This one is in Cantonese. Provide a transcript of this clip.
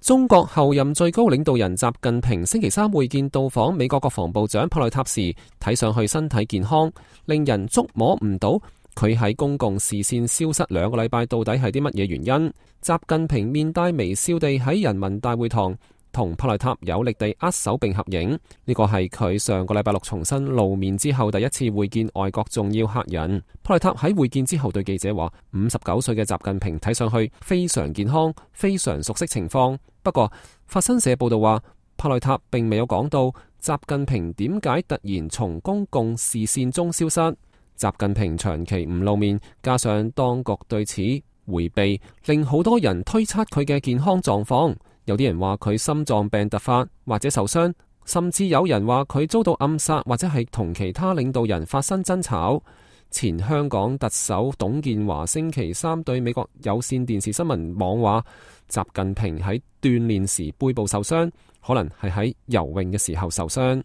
中國後任最高領導人習近平星期三會見到訪美國國防部長普內塔時，睇上去身體健康，令人捉摸唔到佢喺公共視線消失2個禮拜到底係啲乜嘢原因。習近平面帶微笑地喺人民大會堂同普內塔有力地握手並合影，呢個係佢上個禮拜6重新露面之後第一次會見外國重要客人。普內塔喺會見之後對記者話，59歲嘅習近平睇上去非常健康，非常熟悉情況。不過法新社報道話，普內塔並未有講到習近平點解突然從公共視線中消失。習近平長期唔露面，加上當局對此迴避，令好多人推測佢嘅健康狀況。有啲人話佢心臟病突發或者受傷，甚至有人話佢遭到暗殺或者係同其他領導人發生爭吵。前香港特首董建華星期三對美國有線電視新聞網話，習近平喺鍛煉時背部受傷，可能係喺游泳嘅時候受傷。